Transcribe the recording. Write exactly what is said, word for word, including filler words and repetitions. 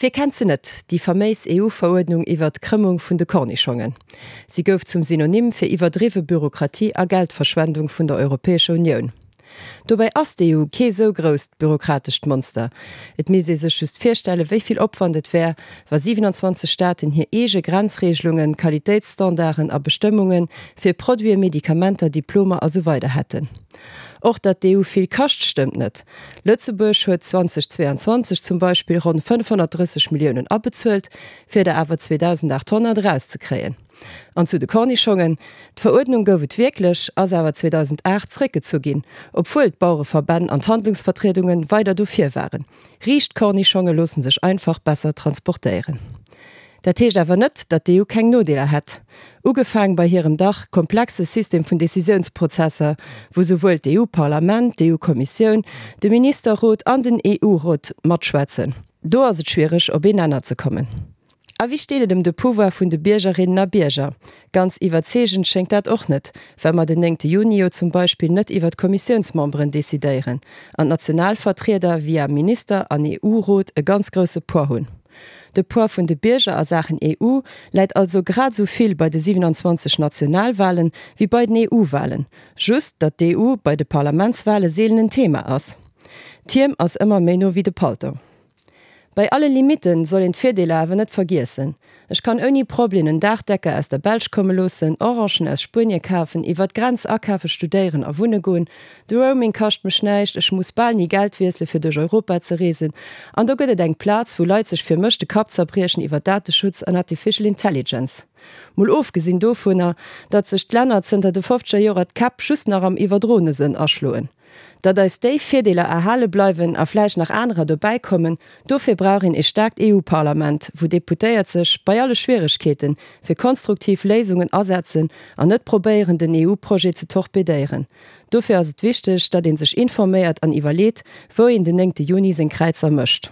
Wie kennt se net, déi faméis E U-Veruerdnung iwwer d'Krëmmung vun de Kornischongen? Si gouf zum Synonym fir iwwerdriwwe Bürokratie a Geldverschwendung vun der Europäescher Unioun. Dobäi ass d'E U kee sou grousst bürokratescht Monster. Et misst ee sech just virstellen, wéi vill Opwand et wär, wa siwenanzwanzeg Staaten hir eege Grenzregelungen, Qualitéitsstandarden a Bestëmmunge fir Produiten, Medikamenter, Diplomer a sou weider hätten. Och datt d'E U vill kascht, stëmmt net. Lëtzebuerg huet zweedausendzweeanzwanzeg zum Beispill ronn fënnefhonnertdrësseg Milliounen abezuelt, fir der awer zweedausendachthonnert erauszekréien. An zu de Kornischongen, D'Veruerdnung gouf et wierklech, ass awer zweedausendaacht zréckgezu ginn, obwuel d'Bauereverbänn an d'Handlungsvertriedunge weider dofir waren. Riicht Kornischonge loosse sech einfach besser transportéieren. Dat heescht awer net, datt d'E U keng Nodeeler hätt. Ugefaang bei hirem dach komplexe System vun Decisiounsprozesser, wou souwuel d'E U-Parlament, d'E U-Kommissioun, de Ministerrot an den E U-Rot matschwätzen. Do ass et schwiereg, op een Nenner ze kommen. A wéi steet et ëm de Pouvoir vun de Biergerinnen a Bierger? Ganz iwwerzeegend schéngt dat och net, well mer den néngte Juni jo zum Beispill net iwwer d'Kommissiounsmemberen decidéieren an d'national Vertrieder via Minister an E U-Rot e ganz grousse Poids hunn. De Poids vun de Bierger a Saachen E U läit also grad esou vill bei de siwenanzwanzeg Nationalwalen wéi bei den E U-Walen, just datt d'E U bei de Parlamentswale seelen en Thema ass. D'Hiem ass ëmmer méi no wéi de Paltong. Bei alle Limitten soll een d'Virdeeler awer net vergiessen. Ech kann ouni Problem en Daachdecker aus der Belsch komme loossen, Orangen aus Spuenie kafen, iwwer d'Grenz akafen, studéieren a wunne goen, de Roaming kascht mech näischt, ech muss bal ni Geld wiessele fir duerch Europa ze reesen an do gëtt et eng Plaz, wou Leit sech fir mech de Kapp zerbriechen iwwer Dateschutz an Artificial Intelligence. Mol ofgesinn dovunner, datt sech d'Länner zënter de fofzeger Joer d'Käpp just nach am iwwerdroene Sënn aschloen. Datt eis déi Virdeeler erhale bleiwen a vläicht nach anerer dobäi kommen, dofir brauch een e staarkt E U-Parlament, wou Deputéiert sech, bei alle Schwieregkeeten, fir konstruktiv Léisungen asetzen an net probéieren, den E U-Projet ze torpedéieren. Dofir ass et wichteg, datt ee sech informéiert an iwwerleet, wou een den néngte Juni seng Kräizer mécht.